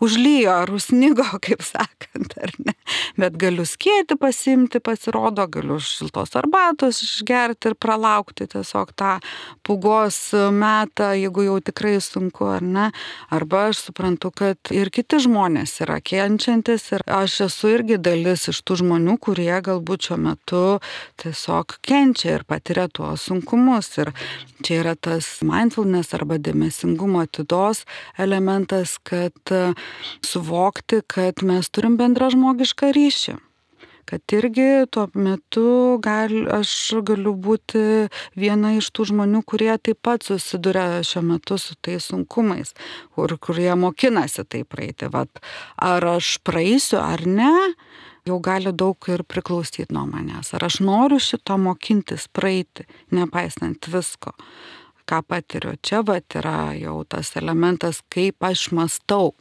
užlyjo ar užsnigo, kaip sakant, ar ne. Bet galiu skėti pasiimti, pasirodo, galiu šiltos arbatos išgerti ir pralaukti tiesiog tą pūgos metą, jeigu jau tikrai sunku, ar ne. Arba aš suprantu, kad ir kiti žmonės yra kenčiantis ir aš esu irgi dalis iš tų žmonių, kurie galbūt šiuo metu tiesiog kenčia ir patiria tuos sunkumus. Ir čia yra tas mindfulness arba dėmesingumo atidos elementas, kad suvokti, kad mes turim bendrą žmogišką ryšį. Kad irgi tuo metu aš galiu būti viena iš tų žmonių, kurie taip pat susiduria šiuo metu su tais sunkumais, kurie mokinasi tai praeiti. Ar aš praeisiu ar ne, jau gali daug ir priklausyti nuo manęs. Ar aš noriu šito mokintis praeiti, nepaisant visko, ką patiriu. Čia yra jau tas elementas, kaip aš mąstau,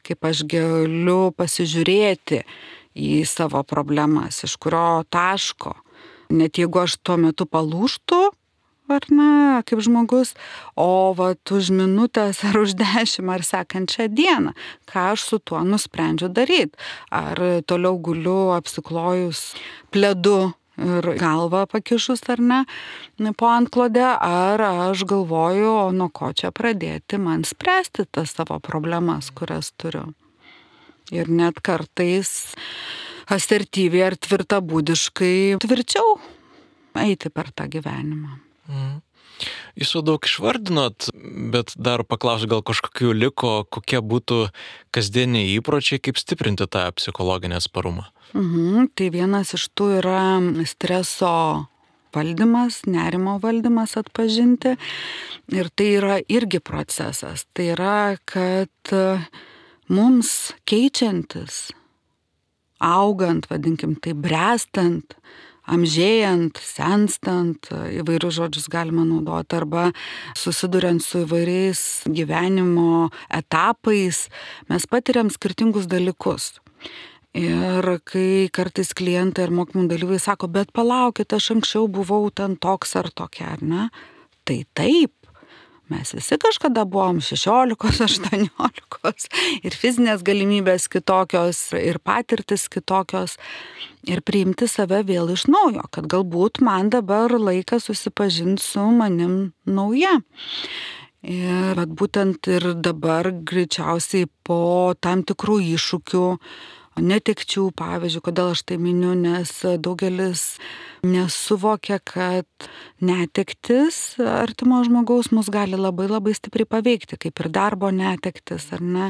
kaip aš galiu pasižiūrėti į savo problemas, iš kurio taško. Net jeigu aš tuo metu palūžtu, ar ne, kaip žmogus, o už minutės ar už 10 ar sekančią dieną, ką aš su tuo nusprendžiu daryti. Ar toliau guliu apsiklojus pledu ir galvą pakišus, ar ne, po antklode, ar aš galvoju, o nuo ko čia pradėti man spręsti tas savo problemas, kurias turiu. Ir net kartais asertyviai ar tvirtabūdiškai tvirčiau eiti per tą gyvenimą. Jūs jau daug išvardinot, bet dar paklausiu, gal kažkokių liko, kokie būtų kasdieniai įpročiai, kaip stiprinti tą psichologinį atsparumą? Tai vienas iš tų yra streso valdymas, nerimo valdymas atpažinti. Ir tai yra irgi procesas. Tai yra, kad mums keičiantis, augant, vadinkim tai, brestant, amžėjant, senstant, įvairius žodžius galima naudoti, arba susiduriant su įvairiais gyvenimo etapais, mes patiriam skirtingus dalykus. Ir kai kartais klientai ar mokymų dalyviai sako, bet palaukit, aš anksčiau buvau ten toks ar tokia, ar ne? Tai taip. Mes visi kažkada buvom 16, 18 ir fizinės galimybės kitokios, ir patirtis kitokios. Ir priimti save vėl iš naujo, kad galbūt man dabar laikas susipažinti su manim nauja. Ir būtent ir dabar greičiausiai po tam tikrų iššūkių, netekčių, pavyzdžiui, kodėl aš tai miniu, nes daugelis nesuvokia, kad netektis artimo žmogaus mus gali labai labai stipriai paveikti, kaip ir darbo netektis, ar ne,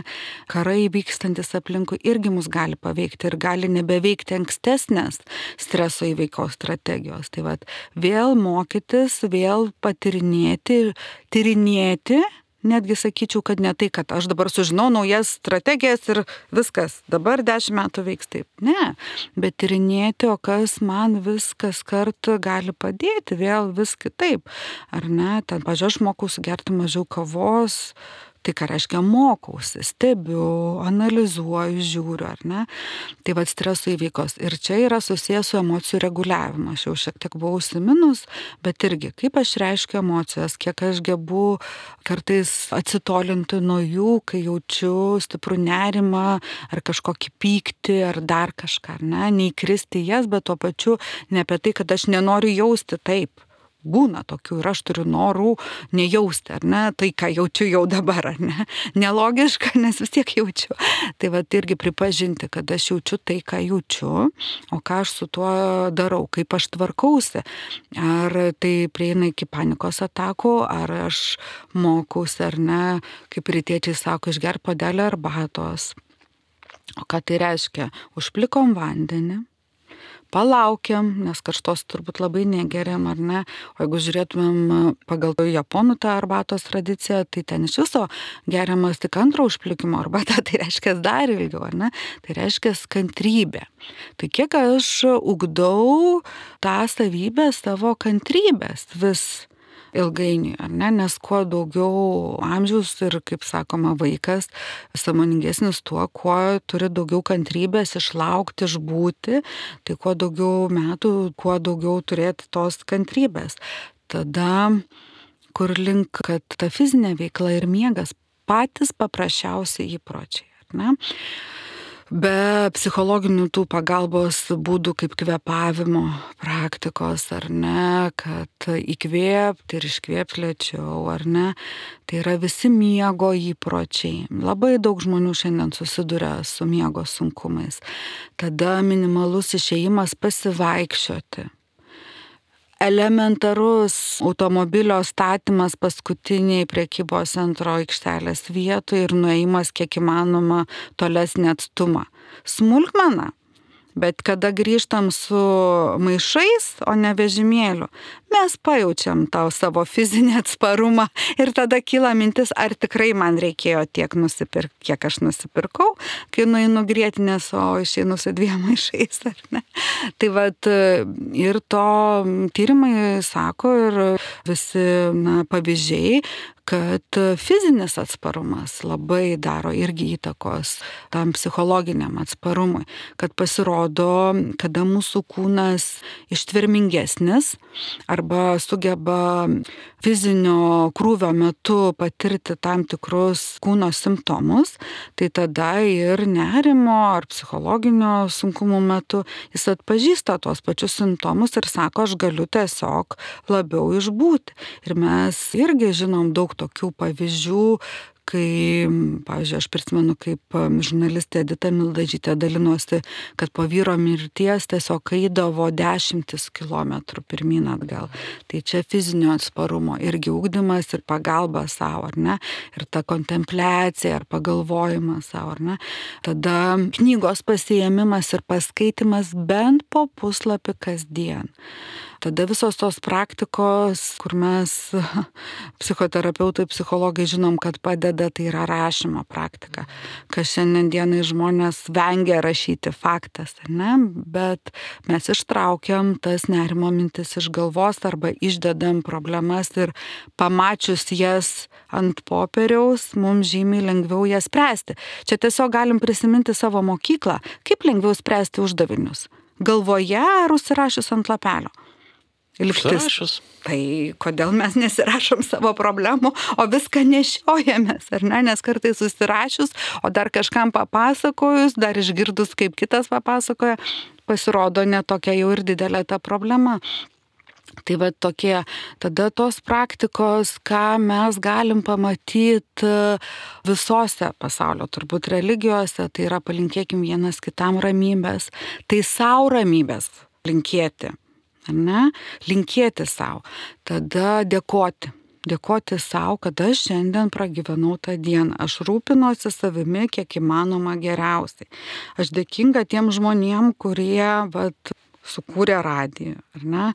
karai vykstantis aplinkui irgi mus gali paveikti ir gali nebeveikti ankstesnės streso įveikos strategijos. Tai vėl mokytis, vėl patirinėti, tyrinėti, netgi sakyčiau, kad ne tai, kad aš dabar sužinau naujas strategijas ir viskas, dabar 10 metų veiks taip. Ne, bet tyrinėti, o kas man viskas kartu gali padėti, vėl vis kitaip. Ar ne, ten, pažiūrėjau, aš mokausi gerti mažiau kavos. Tai ką reiškia mokausi, stebiu, analizuoju, žiūriu, ar ne? Tai vad streso įveikos. Ir čia yra susijęs su emocijų reguliavimu. Aš jau šiek tiek buvau užsiminus, bet irgi, kaip aš reiškiu emocijas, kiek aš gebu kartais atsitolinti nuo jų, kai jaučiu stiprų nerimą, ar kažkokį pyktį, ar dar kažką, ar ne? Neįkristi jas, bet tuo pačiu ne apie tai, kad aš nenoriu jausti taip. Būna tokių ir aš turiu norų nejausti, ar ne, tai ką jaučiu jau dabar, ar ne, nelogiška, nes vis tiek jaučiu. Tai va irgi pripažinti, kad aš jaučiu tai, ką jaučiu, o ką aš su tuo darau, kaip aš tvarkausi. Ar tai prieina iki panikos atakų, ar aš mokausi, ar ne, kaip rytiečiai sako, išgerk puodelį arbatos. O ką tai reiškia? Užplikom vandenį. Palaukiam, nes karštos turbūt labai negeriam, ar ne? O jeigu žiūrėtumėm pagal japonų tą arbatos tradiciją, tai ten iš viso geriamas tik antro užplikimo arbata, tai reiškia dar ilgiau, ar ne? Tai reiškia kantrybė. Tai kiek aš ugdau tą savybę savo kantrybės vis ilgainiui, ar ne? Nes kuo daugiau amžiaus ir, kaip sakoma, vaikas sąmoningesnis tuo, kuo turi daugiau kantrybės išlaukti, išbūti, tai kuo daugiau metų, kuo daugiau turėti tos kantrybės. Tada, kur link, kad ta fizinė veikla ir miegas patys paprasčiausi įpročiai, ar ne? Be psichologinių tų pagalbos būdų kaip kvėpavimo praktikos, ar ne, kad įkvėpti ir iškvėpti lėčiau, ar ne, tai yra visi miego įpročiai. Labai daug žmonių šiandien susiduria su miego sunkumais. Tada minimalus išėjimas pasivaikščioti. Elementarus automobilio statymas paskutiniai prekybos centro aikštelės vietoje ir nuėjimas kiek įmanoma tolesnį atstumą. Smulkmena, bet kada grįžtam su maišais, o ne vežimėliu, mes pajaučiam tą savo fizinį atsparumą ir tada kyla mintis, ar tikrai man reikėjo tiek nusipirkti, kiek aš nusipirkau, kai nueinu grietinės, o išeinu su 2 maišais, ar ne. Tai vat ir to tyrimai sako ir visi pavyzdžiai, kad fizinis atsparumas labai daro irgi įtakos tam psichologiniam atsparumui, kad pasirodo, kada mūsų kūnas ištvermingesnis arba sugeba fizinio krūvio metu patirti tam tikrus kūno simptomus, tai tada ir nerimo ar psichologinio sunkumų metu jis atpažįsta tuos pačius simptomus ir sako, aš galiu tiesiog labiau išbūti. Ir mes irgi žinom daug tokių pavyzdžių, kai, pavyzdžiui, aš prisimenu, kaip žurnalistė Edita Mildažytė dalinosi, kad po vyro mirties tiesiog eidavo 10 kilometrų pirmyn atgal. Tai čia fizinio atsparumo irgi ugdymas ir pagalba savo, ar ne? Ir ta kontempliacija ar pagalvojimas savo, ar ne? Tada knygos pasiėmimas ir paskaitimas bent po puslapį kasdien. Tada visos tos praktikos, kur mes psichoterapeutai, psichologai žinom, kad padeda, tai yra rašymo praktika. Kas šiandien dienai žmonės vengia rašyti, faktas, ne? Bet mes ištraukiam tas nerimo mintis iš galvos arba išdedam problemas ir pamačius jas ant popieriaus, mums žymiai lengviau jas spręsti. Čia tiesiog galim prisiminti savo mokyklą, kaip lengviau spręsti uždavinius. Galvoje ar užsirašius ant lapelio? Užsirašius. Tai kodėl mes nesirašom savo problemų, o viską nešiojamės, ar ne? Nes kartais susirašius, o dar kažkam papasakojus, dar išgirdus, kaip kitas papasakoja, pasirodo netokia jau ir didelė ta problema. Tai va tokie, tada tos praktikos, ką mes galim pamatyti visose pasaulio, turbūt religijose, tai yra palinkėkim vienas kitam ramybės, tai savo ramybės linkėti. Ar ne? Linkėti savo. Tada dėkoti savo, kad aš šiandien pragyvenau tą dieną. Aš rūpinuosi savimi kiek įmanoma geriausiai. Aš dėkinga tiem žmonėm, kurie sukūrė radiją, ar ne?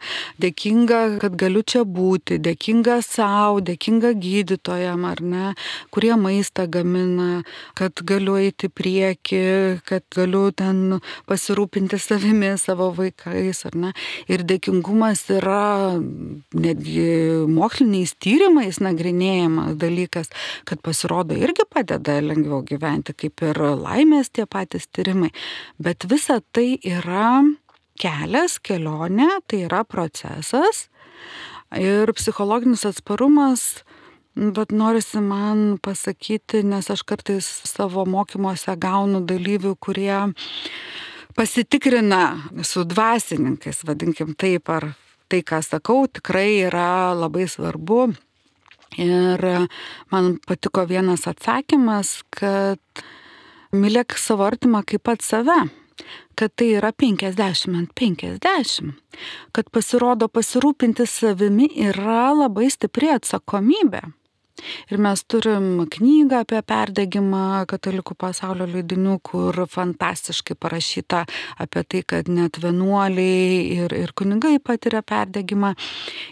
Dėkinga, kad galiu čia būti, dėkinga savo, dėkinga gydytojam, ar ne, kurie maistą gamina, kad galiu eiti prieki, kad galiu ten pasirūpinti savimi, savo vaikais, ar ne. Ir dėkingumas yra netgi moksliniais tyrimais nagrinėjamas dalykas, kad pasirodo irgi padeda lengviau gyventi, kaip ir laimės tie patys tyrimai. Bet visa tai yra kelias, kelionė, tai yra procesas ir psichologinis atsparumas, bet norisi man pasakyti, nes aš kartais savo mokymuose gaunu dalyvių, kurie pasitikrina su dvasininkais, vadinkim taip, ar tai, ką sakau, tikrai yra labai svarbu. Ir man patiko vienas atsakymas, kad mylėk savo artimą kaip pat save. Kad tai yra 50/50, kad pasirodo pasirūpinti savimi yra labai stipri atsakomybė. Ir mes turim knygą apie perdegimą Katalikų pasaulio leidinių, kur fantastiškai parašyta apie tai, kad net vienuoliai ir kunigai patiria perdegimą.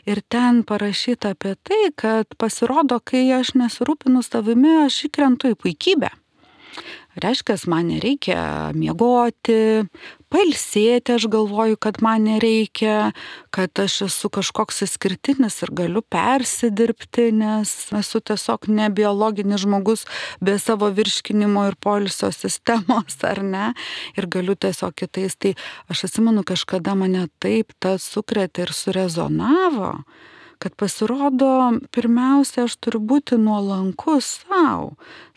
Ir ten parašyta apie tai, kad pasirodo, kai aš nesirūpinu savimi, aš įkrentu į puikybę. Reiškia, man nereikia miegoti, pailsėti, aš galvoju, kad man nereikia, kad aš esu kažkoks išskirtinis ir galiu persidirbti, nes esu tiesiog ne biologinis žmogus be savo virškinimo ir poilsio sistemos, ar ne, ir galiu tiesiog kitais. Tai aš atsimenu, kažkada mane taip tas sukrėtė ir surezonavo, kad pasirodo, pirmiausia, aš turiu būti nuolankus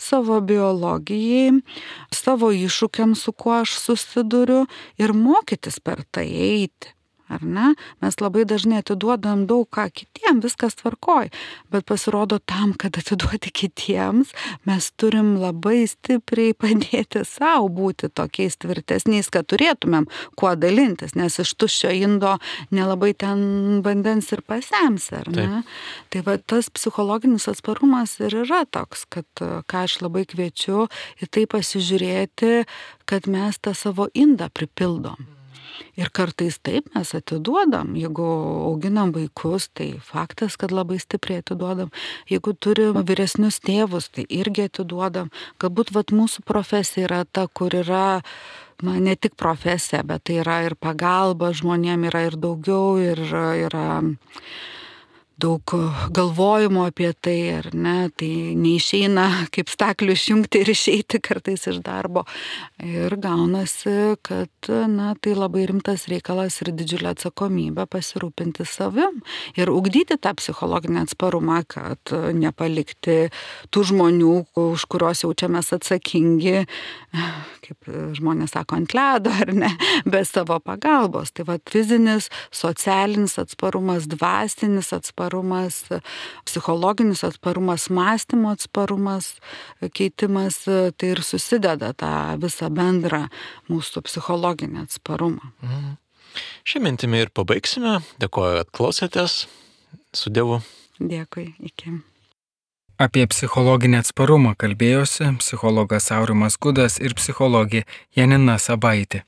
savo biologijai, savo iššūkiams, su kuo aš susiduriu ir mokytis per tai eiti. Ar ne? Mes labai dažnai atiduodam daug ką kitiem, viskas tvarkoj, bet pasirodo tam, kad atiduoti kitiems, mes turim labai stipriai padėti savo būti tokiais tvirtesniais, kad turėtumėm kuo dalintis, nes iš tuščio indo nelabai ten vandens ir pasemsi, ar ne? Taip. Tai va tas psichologinis atsparumas ir yra toks, kad ką aš labai kviečiu į tai pasižiūrėti, kad mes tą savo indą pripildom. Ir kartais taip mes atiduodam, jeigu auginam vaikus, tai faktas, kad labai stipriai atiduodam. Jeigu turim vyresnius tėvus, tai irgi atiduodam. Galbūt mūsų profesija yra ta, kur yra ne tik profesija, bet tai yra ir pagalba žmonėm, yra ir daugiau, ir yra daug galvojimo apie tai, ar ne, tai neišeina kaip staklių išjungti ir išeiti kartais iš darbo. Ir gaunasi, kad tai labai rimtas reikalas ir didžiulė atsakomybė pasirūpinti savim ir ugdyti tą psichologinį atsparumą, kad nepalikti tų žmonių, už kuriuos jaučiamės atsakingi, kaip žmonės sako, ant ledo, ar ne, be savo pagalbos. Tai fizinis, socialinis atsparumas, dvasinis atsparumas, psichologinis atsparumas, mąstymo atsparumas, keitimas, tai ir susideda tą visą bendrą mūsų psichologinį atsparumą. Šią mintimį ir pabaigsime. Dėkoju, kad klausėtės. Su Dievu. Dėkui, iki. Apie psichologinį atsparumą kalbėjosi psichologas Aurimas Gudas ir psichologė Janina Sabaitė.